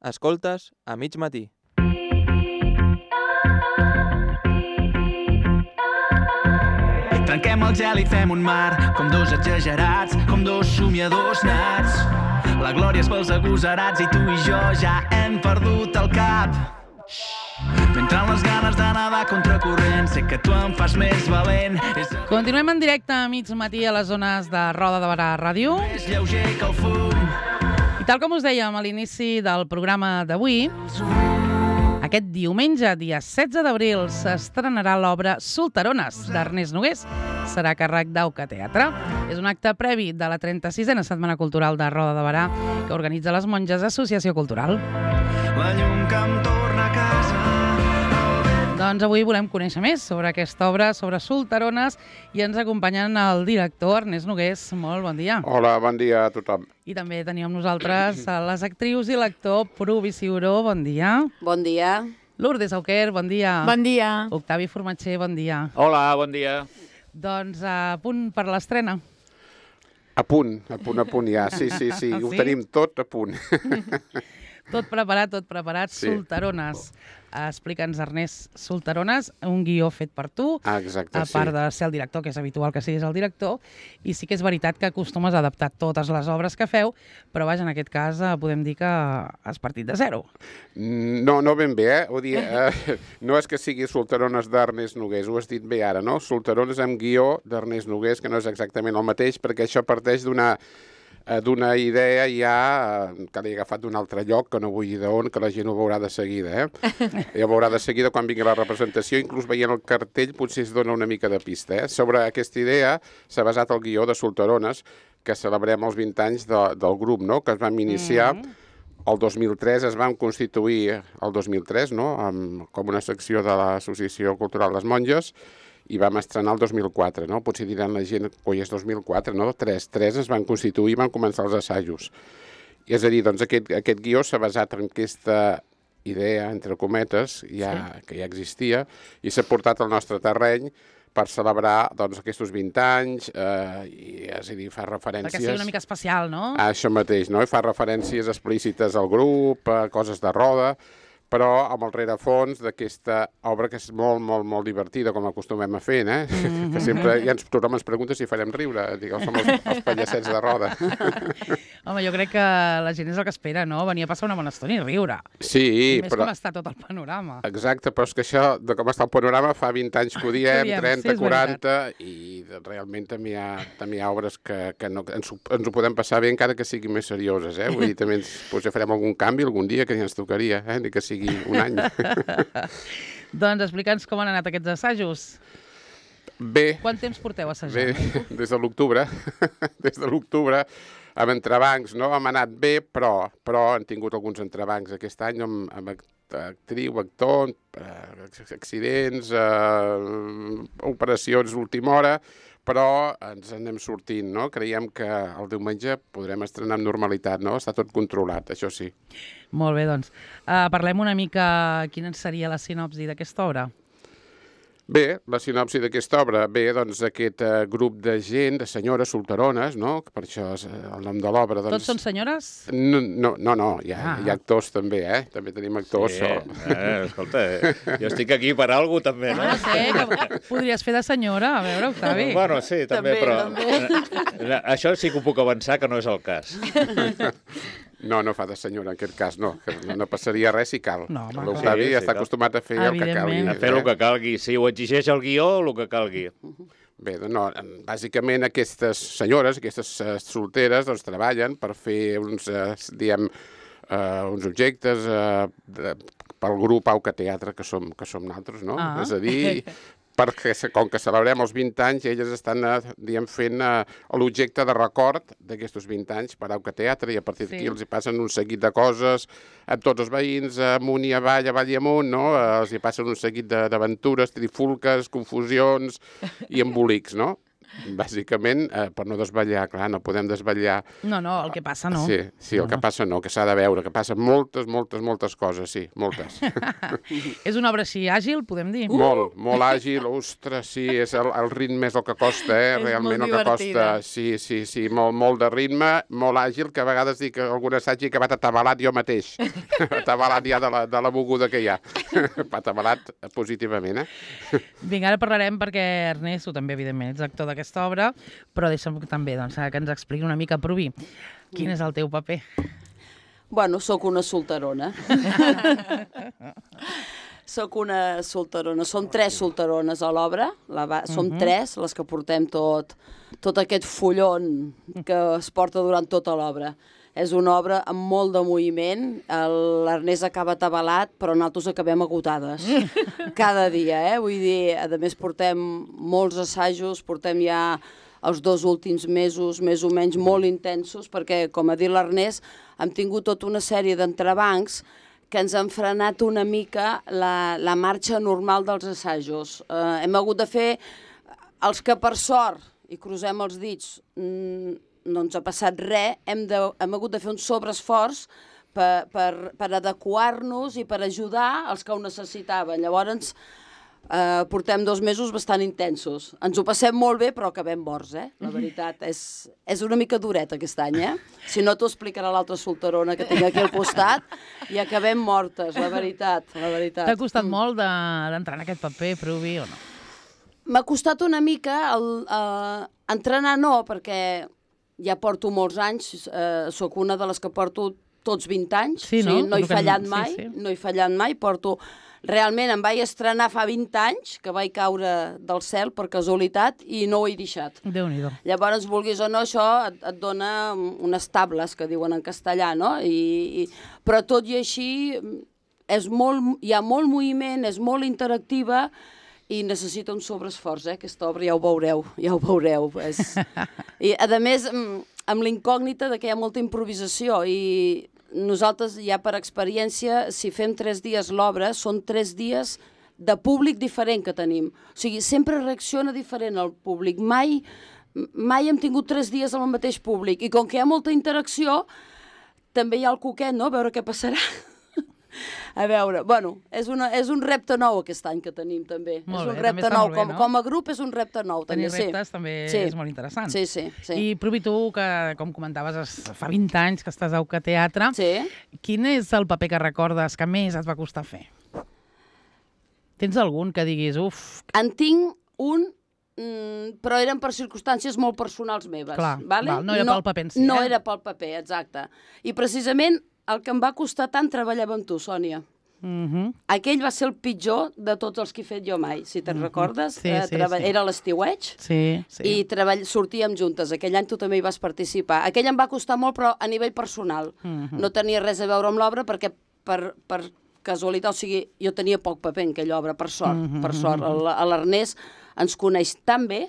Escoltes a mig matí. Trenquem el gel i fem un mar, com dos exagerats, com dos somiadors nats. La glòria és pels agosarats i tu i jo ja hem perdut el cap. M'entren les ganes de nedar contracorrent, sé que tu em fas més valent. Continuem en directe a mig matí a les zones de Roda de Barà Ràdio. És lleuger que el fum. I tal com us dèiem a l'inici del programa d'avui, aquest diumenge, dia 16 d'abril, s'estrenarà l'obra Solterones, d'Ernest Nogués. Serà a càrrec d'Auca Teatre. És un acte previ de la 36a Setmana Cultural de Roda de Barà que organitza les Monges Associació Cultural. La llum que em torna a casa. Doncs avui volem conèixer més sobre aquesta obra, sobre Solterones, i ens acompanyen el director Ernest Nogués. Molt bon dia. Hola, bon dia a tothom. I també tenim amb nosaltres les actrius i l'actor Pruvi Ciuró. Bon dia. Bon dia. Lourdes Auquer, bon dia. Bon dia. Octavi Formatger, bon dia. Hola, bon dia. Doncs a punt per l'estrena. A punt ja. Sí. Ho tenim tot a punt. Tot preparat. Sí. Solterones. Explica'ns, Ernest, Solterones, un guió fet per tu, Exacte, a part de ser el director, que és habitual que siguis el director, i sí que és veritat que acostumes a adaptar totes les obres que feu, però vaja, en aquest cas podem dir que has partit de zero. No ben bé, Vull dir, no és que sigui Solterones d'Ernest Nogués, ho has dit bé ara, no? Solterones amb guió d'Ernest Nogués, que no és exactament el mateix, perquè això parteix d'una idea ja que l'he agafat d'un altre lloc, que no vull dir d'on, que la gent ho veurà de seguida. Ja ho veurà de seguida quan vingui la representació, inclús veient el cartell potser es dona una mica de pista. Sobre aquesta idea s'ha basat el guió de Solterones, que celebrem els 20 anys del grup, no? Que es vam iniciar el 2003, es vam constituir el 2003, no? Com una secció de l'Associació Cultural Les Monges, i vam estrenar el 2004, no? Potser diran la gent, oi, és 2004, no? Tres es van constituir i van començar els assajos. I és a dir, doncs aquest guió s'ha basat en aquesta idea, entre cometes, que ja existia, i s'ha portat al nostre terreny per celebrar doncs, aquests 20 anys, i és a dir, fa referències... Perquè sigui una mica especial, no? A això mateix, no? I fa referències explícites al grup, a coses de roda, però amb el rerefons d'aquesta obra que és molt divertida, com acostumem a fer, que sempre tothom ens pregunta si farem riure, digueu, som els pallassets de roda. Home, jo crec que la gent és el que espera, no? Venir a passar una bona estona i riure. Sí, I més però... com està tot el panorama. Exacte, però és que això, de com està el panorama, fa 20 anys que ho diem, 30, sí, 40, i realment també hi ha obres que no, ens ho podem passar bé encara que siguin més serioses, Vull dir, també potser farem algun canvi algun dia que ja ens tocaria, ni que sigui un any. Doncs explica'ns com han anat aquests assajos. Bé. Quant temps porteu assajant? Bé, des de l'octubre. Des de l'octubre, amb entrebancs, no? Hem anat bé, però han tingut alguns entrebancs aquest any amb actriu, actor, accidents, operacions d'última hora, però ens en anem sortint, no? Creiem que el diumenge podrem estrenar amb normalitat, no? Està tot controlat, això sí. Molt bé, doncs. Parlem una mica quina seria la sinopsi d'aquesta obra. Bé, la sinopsi d'aquesta obra, doncs aquest grup de gent, de senyores solterones, no? Per això és el nom de l'obra. Tots són senyores? No, hi ha actors també, També tenim actors. Sí, escolta, jo estic aquí per alguna cosa també, no? No sé, que podries fer de senyora, a veure, Octavi. Bueno, sí, també, però això sí que ho puc avançar, que no és el cas. No fa de senyora en aquest cas, no. No passaria res si cal. No, l'Octavi està acostumat a fer el que calgui. A fer el que calgui. Si ho exigeix el guió, el que calgui. Bé, no, bàsicament aquestes senyores, aquestes solteres, doncs treballen per fer uns objectes pel grup Auca Teatre, que som nosaltres, no? És a dir, perquè com que celebrem els 20 anys, elles estan fent l'objecte de record d'aquests 20 anys per Auca Teatre, i a partir d'aquí els hi passen un seguit de coses amb tots els veïns, amunt i avall i amunt, no? Els hi passen un seguit d'aventures, trifulques, confusions i embolics, no? bàsicament, per no desvetllar, clar, no podem desvetllar. No, el que passa no. Sí, el que passa no, que s'ha de veure, que passen moltes coses, sí, moltes. És una obra així àgil, podem dir? Molt àgil, ostres, sí, és el ritme és el que costa, realment el que costa. Sí, molt de ritme, molt àgil, que a vegades dic que algun assaig he acabat atabalat jo mateix. Atabalat ja de la moguda que hi ha. Atabalat positivament, Vinga, ara parlarem perquè, Ernest, tu també, evidentment, ets actor d'aquesta obra, però deixa'm també que ens expliqui una mica, Provi, quin és el teu paper? Bueno, sóc una solterona. Sóc una solterona. Som 3 solterones a l'obra. Som 3 les que portem tot aquest fullon que es porta durant tota l'obra. És una obra amb molt de moviment. L'Ernest acaba atabalat, però nosaltres acabem agotades. Cada dia, Vull dir, a més portem molts assajos, portem ja els 2 últims mesos, més o menys, molt intensos, perquè, com ha dit l'Ernest, hem tingut tota una sèrie d'entrebancs que ens han frenat una mica la marxa normal dels assajos. Hem hagut de fer els que, per sort, i crucem els dits, no ens ha passat res, hem hagut de fer un sobreesforç per adequar-nos i per ajudar els que ho necessitaven. Llavors, portem 2 mesos bastant intensos. Ens ho passem molt bé, però acabem morts, La veritat, és una mica duret aquest any, Si no, t'ho explicarà l'altra solterona que tinc aquí al costat, i acabem mortes, la veritat. T'ha costat molt d'entrar en aquest paper, Provi, o no? M'ha costat una mica entrenar, no, perquè ja porto molts anys, sóc una de les que porto tots 20 anys, no he fallat mai, no he fallat mai, realment em vaig estrenar fa 20 anys, que vaig caure del cel per casualitat i no ho he deixat. Déu-n'hi-do. Llavors, vulguis o no, això et dona unes tables, que diuen en castellà, no? Però tot i així hi ha molt moviment, és molt interactiva, i necessita un sobreesforç, aquesta obra, ja ho veureu. I, a més, amb l'incògnita de que hi ha molta improvisació, i nosaltres, ja per experiència, si fem 3 dies l'obra, són 3 dies de públic diferent que tenim. O sigui, sempre reacciona diferent el públic. Mai hem tingut 3 dies amb el mateix públic, i com que hi ha molta interacció, també hi ha el coquet, no?, a veure què passarà. A veure, bueno, és un repte nou aquest any que tenim, també. És un repte nou. Com a grup és un repte nou, també. Tenir reptes també és molt interessant. Sí. I, Provi, tu, que, com comentaves, fa 20 anys que estàs a UCA Teatre, quin és el paper que recordes que més et va costar fer? Tens algun que diguis, uf... En tinc un, però eren per circumstàncies molt personals meves. Clar, no era pel paper en si. No era pel paper, exacte. I precisament el que em va costar tant treballava amb tu, Sònia. Aquell va ser el pitjor de tots els que he fet jo mai, si te'n recordes. Era l'estiueig i sortíem juntes. Aquell any tu també hi vas participar. Aquell em va costar molt, però a nivell personal. No tenia res a veure amb l'obra perquè per casualitat, o sigui, jo tenia poc paper en aquella obra, per sort. L'Ernest ens coneix tan bé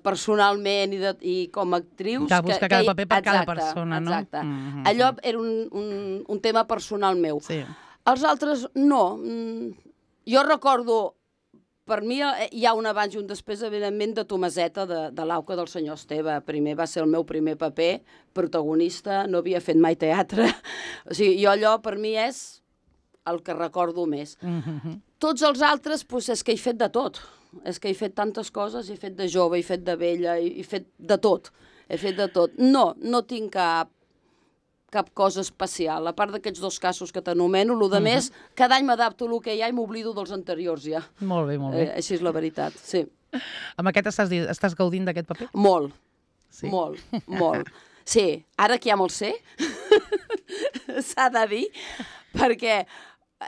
personalment i com a actrius... Que busca cada paper per cada persona, no? Exacte. Allò era un tema personal meu. Els altres, no. Jo recordo, per mi hi ha un abans i un després, evidentment, de Tomaseta, de l'Auca del senyor Esteve. Primer va ser el meu primer paper, protagonista, no havia fet mai teatre. O sigui, jo allò, per mi, és el que recordo més. Tots els altres, és que he fet de tot. És que he fet tantes coses, he fet de jove, he fet de vella, he fet de tot. No tinc cap cosa especial. A part d'aquests 2 casos que t'anomeno, el més, cada any m'adapto al que hi ha i m'oblido dels anteriors ja. Molt bé. Així és la veritat, sí. Amb aquest estàs gaudint d'aquest paper? Molt. Sí, ara que ja me'l sé, s'ha de dir, perquè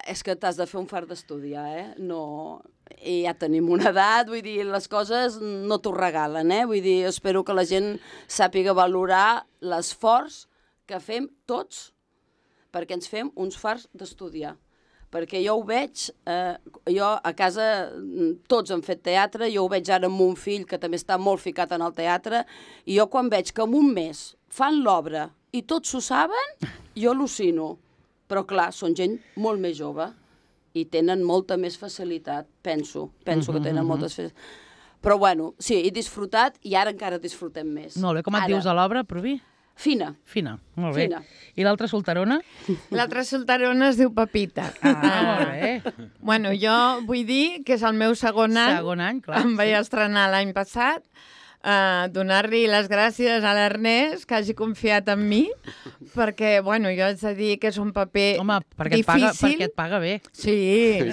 és que t'has de fer un fart d'estudiar, No... I ja tenim una edat, vull dir, les coses no t'ho regalen, Vull dir, espero que la gent sàpiga valorar l'esforç que fem tots perquè ens fem uns farts d'estudiar. Perquè jo ho veig, jo a casa tots han fet teatre, jo ho veig ara amb un fill que també està molt ficat en el teatre, i jo quan veig que en un mes fan l'obra i tots ho saben, jo al·lucino. Però clar, són gent molt més jove i tenen molta més facilitat, penso que tenen moltes facilitats. Però bueno, sí, he disfrutat i ara encara disfrutem més. Molt bé, com et dius a l'obra, Provi? Fina. Fina, molt bé. Fina. I l'altra solterona? L'altra solterona es diu Pepita. Molt bé. Bueno, jo vull dir que és el meu segon any. Segon any, clar. Em vaig estrenar l'any passat. Donar-li les gràcies a l'Ernest, que hagi confiat en mi, perquè, bueno, jo haig de dir que és un paper perquè difícil. Et paga bé. Sí,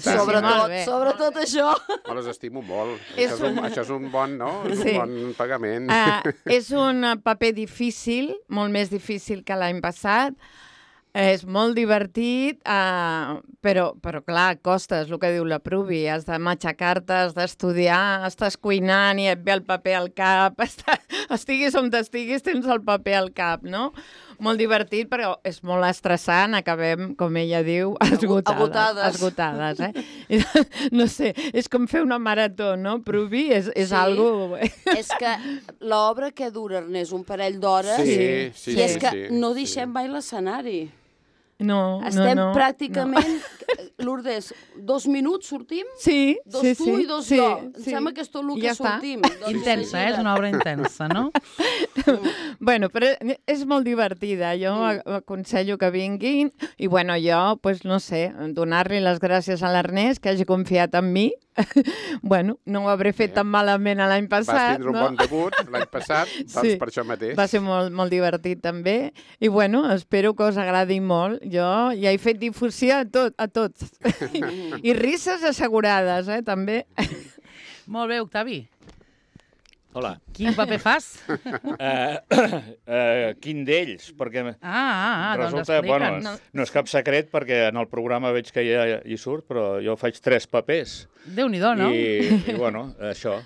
sobretot això. Me les estimo molt. Això és un bon, no? Sí. Un bon pagament. És un paper difícil, molt més difícil que l'any passat. És molt divertit, però clar, costa, és el que diu la Pruvi. Has de matxacar-te, has d'estudiar, estàs cuinant i et ve el paper al cap. Estiguis on estiguis, tens el paper al cap, no? Molt divertit, però és molt estressant. Acabem, com ella diu, esgotades. No sé, és com fer una marató, no, Pruvi? És algo... És que l'obra que dura, Ernest, un parell d'hores, i és que no deixem mai l'escenari. No. Estem pràcticament, Lourdes, 2 minuts sortim? Sí. 2 tu i 2 jo. Em sembla que és tot el que sortim. Intensa, és una obra intensa, no? Bueno, però és molt divertida. Jo aconsello que vinguin i, bueno, jo, pues, no sé, donar-li les gràcies a l'Ernest, que hagi confiat en mi. Bueno, no ho hauré fet tan malament l'any passat. Vas tindre un bon debut l'any passat, doncs per això mateix. Va ser molt divertit també. I, bueno, espero que us agradi molt. Jo ja he fet difusió a tots. I risses assegurades, també. Molt bé, Octavi. Hola. Quin paper fas? Quin d'ells? Perquè doncs resulta, explica'ns. no és cap secret perquè en el programa veig que ja hi surt, però jo faig 3 papers. Déu-n'hi-do, no? I bueno, això,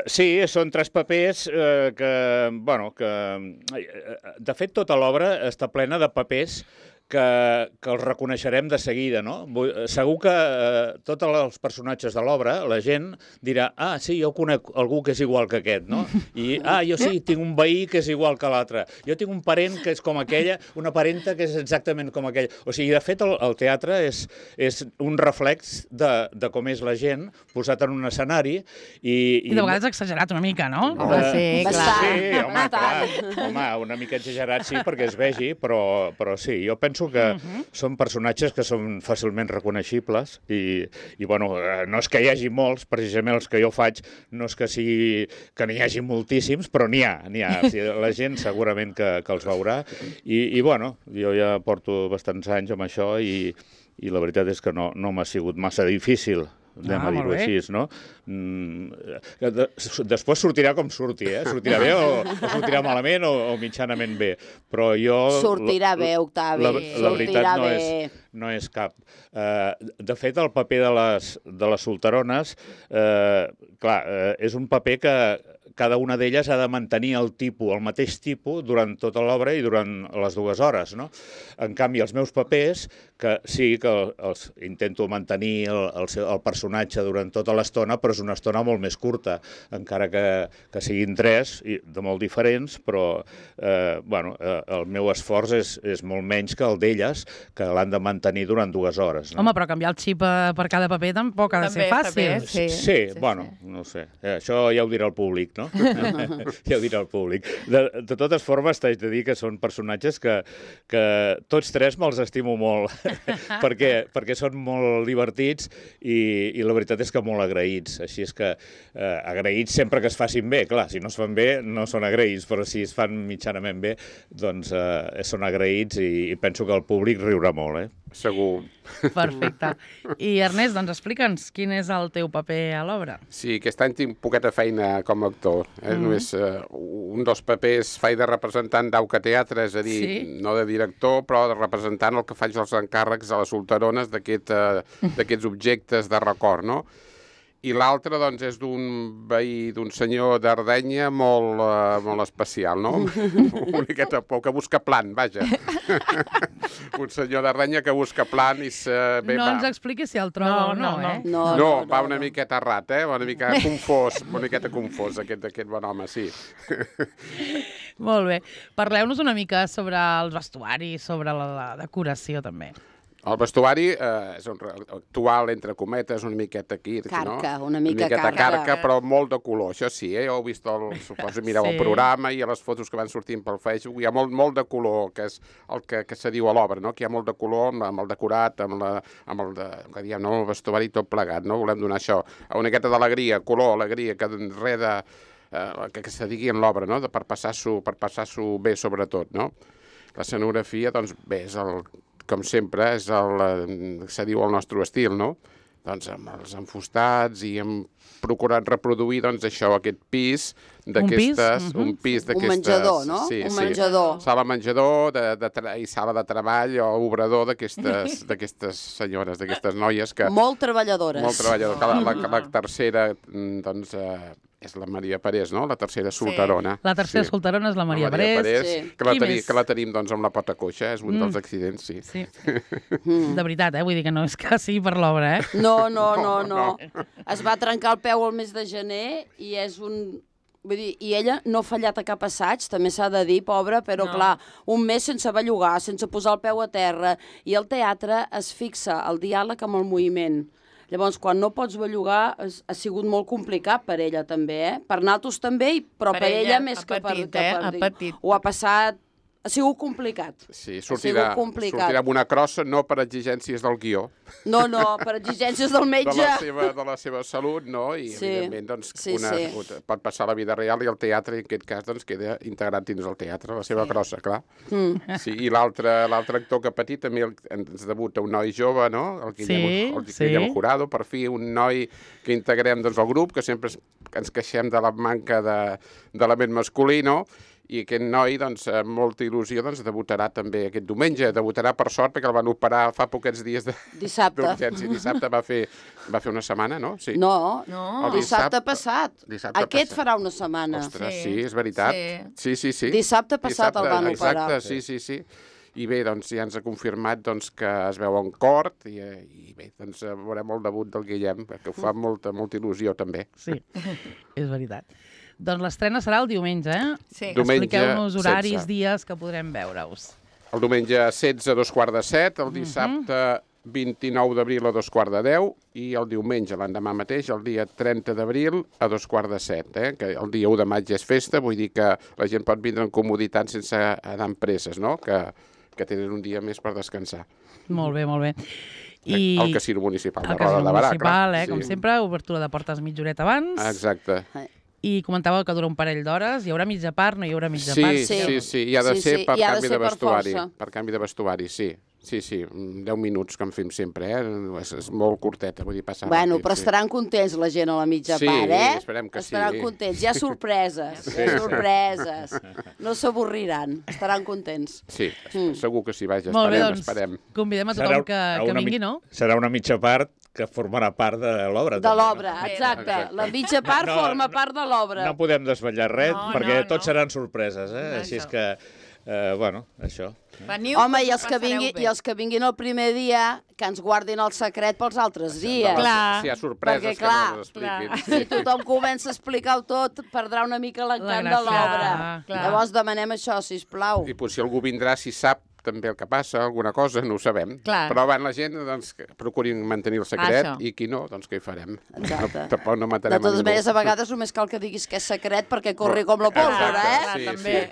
sí, són 3 papers que, de fet, tota l'obra està plena de papers que els reconeixerem de seguida, no? Segur que tots els personatges de l'obra, la gent dirà, sí, jo conec algú que és igual que aquest, no? I, jo sí, tinc un veí que és igual que l'altre. Jo tinc un parent que és com aquella, una parenta que és exactament com aquella. O sigui, de fet, el teatre és un reflex de com és la gent posat en un escenari i de vegades exagerat una mica, no? Sí, clar. Sí, home, clar. Home, una mica exagerat sí, perquè es vegi, però sí, jo penso que són personatges que són fàcilment reconeixibles i bueno, no és que hi hagi molts, precisament els que jo faig, no és que n'hi hagi moltíssims, però n'hi ha. O sigui, la gent segurament que els veurà i bueno, jo ja porto bastants anys amb això i la veritat és que no m'ha sigut massa difícil, anem a dir-ho així, no? Després sortirà com surti, sortirà bé o sortirà malament o mitjanament bé, però jo... Sortirà bé, Octavi, la veritat no és cap. De fet, el paper de les solterones, clar, és un paper que cada una d'elles ha de mantenir el mateix tipus durant tota l'obra i durant les 2 hores, no? En canvi, els meus papers, que sí que els intento mantenir el personatge durant tota l'estona, però és una estona molt més curta, encara que siguin 3, de molt diferents, però el meu esforç és molt menys que el d'elles, que l'han de mantenir durant 2 hores. Home, però canviar el xip per cada paper tampoc ha de ser fàcil. Sí, bueno, no sé. Això ja ho dirà el públic, no? Ja ho dirà el públic. De totes formes, t'haig de dir que són personatges que tots 3 me'ls estimo molt, perquè són molt divertits i la veritat és que molt agraïts. Així és que agraïts sempre que es facin bé. Clar, si no es fan bé, no són agraïts, però si es fan mitjanament bé, doncs són agraïts i penso que el públic riurà molt, Segur. Perfecte. I Ernest, doncs explica'ns quin és el teu paper a l'obra. Sí, aquest any tinc poqueta feina com a actor. Només un dels papers faig de representant d'Auca Teatre, és a dir, no de director, però de representant el que faig els encàrrecs a les solterones d'aquests objectes de record, no? I l'altre, doncs, és d'un veí, d'un senyor d'Ardenya molt especial, no? Una miqueta por, que busca plan, vaja. Un senyor d'Ardenya que busca plan i no ens expliqui si el troba o no, No, va una miqueta errat, una miqueta confós, aquest bon home, sí. Molt bé. Parleu-nos una mica sobre els vestuaris, sobre la decoració, també. El vestuari és actual, entre cometes, una miqueta aquí, Carca, no? una mica carca, però molt de color, això sí, jo heu vist, suposo, mireu el programa i a les fotos que van sortint pel Facebook, hi ha molt de color, que és el que se diu a l'obra, no? Que hi ha molt de color amb el decorat, amb el vestuari tot plegat, no? Volem donar això, una miqueta d'alegria, color, alegria, que res de... que se digui en l'obra, no? Per passar-s'ho bé, sobretot, no? La escenografia, doncs, bé, és com sempre, és se diu el nostre estil, no? Doncs amb els enfustats i hem procurat reproduir, doncs, això, aquest pis d'aquestes... Un menjador, no? Sí, un menjador. Sala menjador i sala de treball o obrador d'aquestes senyores, d'aquestes noies que... Molt treballadores. Molt treballadores. La tercera, doncs... és la Maria Parés, no? La tercera solterona. La tercera solterona és la Maria Parés. Que la tenim, doncs, amb la pota coixa, és un dels accidents, sí. De veritat, vull dir que no és que sigui per l'obra, No. Es va trencar el peu el mes de gener i és un... Vull dir, i ella no ha fallat a cap assaig, també s'ha de dir, pobra, però clar, un mes sense bellugar, sense posar el peu a terra, i el teatre es fixa el diàleg amb el moviment. Llavors, quan no pots bellugar, ha sigut molt complicat per ella, també, Per nosaltres també, però per ella més que per... Ha patit. Ho ha passat... Ha sigut complicat. Sí, sortirà amb una crossa, no per exigències del guió. No, per exigències del metge. De la seva salut, no? I, evidentment, doncs, pot passar a la vida real i el teatre, en aquest cas, doncs, queda integrat dins el teatre, la seva crossa, clar. Sí, i l'altre actor que ha patit també ens debuta un noi jove, no? El Guillem Jurado, per fi, un noi que integrem, doncs, al grup, que sempre ens queixem de la manca d'element masculí, no? I aquest noi, doncs, amb molta il·lusió, doncs, debutarà també aquest diumenge. Debutarà, per sort, perquè el van operar fa poquets dies d'urgència. Dissabte va fer una setmana, no? Sí. No, dissabte passat. Aquest farà una setmana. Ostres, sí, és veritat. Sí. Dissabte passat el van operar. Exacte, sí. I bé, doncs, ja ens ha confirmat doncs, que es veu en cort i bé, doncs, veurem el debut del Guillem, que ho fa molta il·lusió, també. Sí, és veritat. Doncs l'estrena serà el diumenge, Sí. Expliqueu-nos horaris, dies que podrem veure-us. El diumenge 16 a 2:15, el dissabte 29 d'abril a 2:10 i el diumenge, l'endemà mateix, el dia 30 d'abril a 2:17, que el dia 1 de maig és festa, vull dir que la gent pot vindre en comoditat sense anar amb presses, no? Que tenen un dia més per descansar. Molt bé. El casino municipal de Roda de Barà, clar. Com sempre, obertura de portes mitja horeta abans. Exacte. I comentàveu que dura un parell d'hores. Hi haurà mitja part, no hi haurà mitja part? Sí, i ha de ser per canvi de vestuari. Per canvi de vestuari, sí. Sí, 10 minuts que en fem sempre, és molt curteta, vull dir, passar ràpid. Bueno, però estaran contents la gent a la mitja part, Sí, esperem que sí. Estaran contents, hi ha sorpreses, no s'avorriran, estaran contents. Sí, segur que sí, vaja, molt bé, esperem. Convidem a tothom que vingui, no? Serà una mitja part que formarà part de l'obra. De l'obra, exacte. La mitja part forma part de l'obra. No podem desvetllar res, perquè tots seran sorpreses, Així és que, bueno, això. Home, i els que vinguin el primer dia, que ens guardin el secret pels altres dies. Clar. Si hi ha sorpreses, que no les expliquin. Si tothom comença a explicar-ho tot, perdrà una mica l'encant de l'obra. Llavors demanem això, sisplau. I potser algú vindrà, si sap també el que passa, alguna cosa, no ho sabem. Clar. Però van la gent, doncs, que procurin mantenir el secret i qui no, doncs què hi farem? Exacte. Tampoc no matarem a ningú. De totes maneres, a vegades només cal que diguis que és secret perquè corri com la pólvora, Sí, també.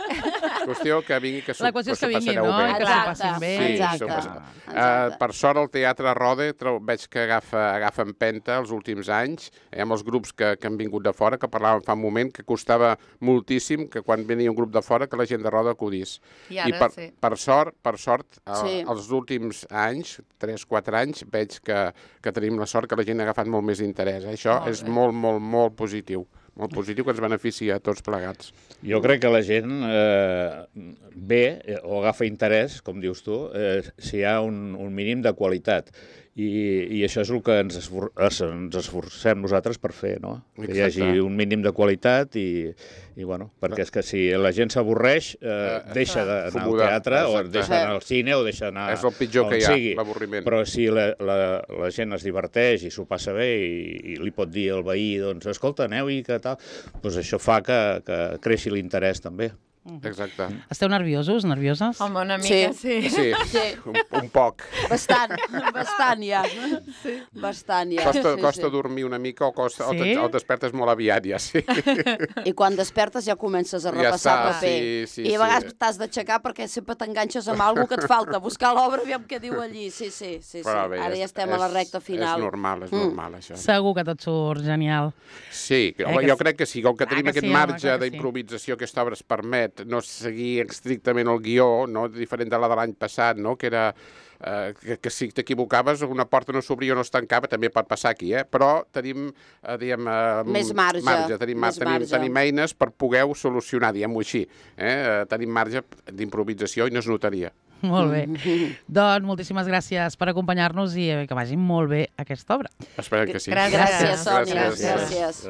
Qüestió que vingui, que la qüestió és que vingui, no? Bé. Que s'ho passin bé. Exacte. Per sort, el Teatre Rode veig que agafa empenta els últims anys, amb els grups que han vingut de fora, que parlàvem fa un moment, que costava moltíssim que quan venia un grup de fora que la gent de Rode acudís. I ara sí. Per sort, els últims anys, 3-4 anys, veig que tenim la sort que la gent ha agafat molt més interès. Això és molt positiu. Molt positiu, que ens beneficia a tots plegats. Jo crec que la gent ve o agafa interès, com dius tu, si hi ha un mínim de qualitat. I això és el que ens esforcem nosaltres per fer, no? Que hi hagi un mínim de qualitat i bueno, perquè és que si la gent s'avorreix, deixa d'anar al teatre o deixa d'anar al cine o deixa d'anar és el pitjor que hi ha, l'avorriment. Però si la gent es diverteix i s'ho passa bé i li pot dir al veí, doncs, escolta, aneu i que tal, doncs això fa que creixi l'interès també. Exacte. Esteu nerviosos, nervioses? Home, una mica sí. Sí, un poc. Bastant ja. Bastant ja. Costa dormir una mica o despertes molt aviat, ja, sí. I quan despertes ja comences a repassar paper. I a vegades t'has d'aixecar perquè sempre t'enganxes amb alguna que et falta. Buscar l'obra, aviam què diu allí. Sí. Ara ja estem a la recta final. És normal, això. Segur que tot surt genial. Sí, jo crec que sí. Com que tenim aquest marge d'improvisació, aquesta obra es permet no seguir estrictament el guió, no? Diferent de la de l'any passat, no? Que era que si t'equivocaves una porta no s'obria o no es tancava, també pot passar aquí, però tenim, més marge. Tenim eines per poder solucionar, diguem-ho així. Tenim marge d'improvisació i no es notaria. Molt bé. Doncs moltíssimes gràcies per acompanyar-nos i que vagi molt bé aquesta obra. Esperem que sí. Gràcies, Sònia. Gràcies.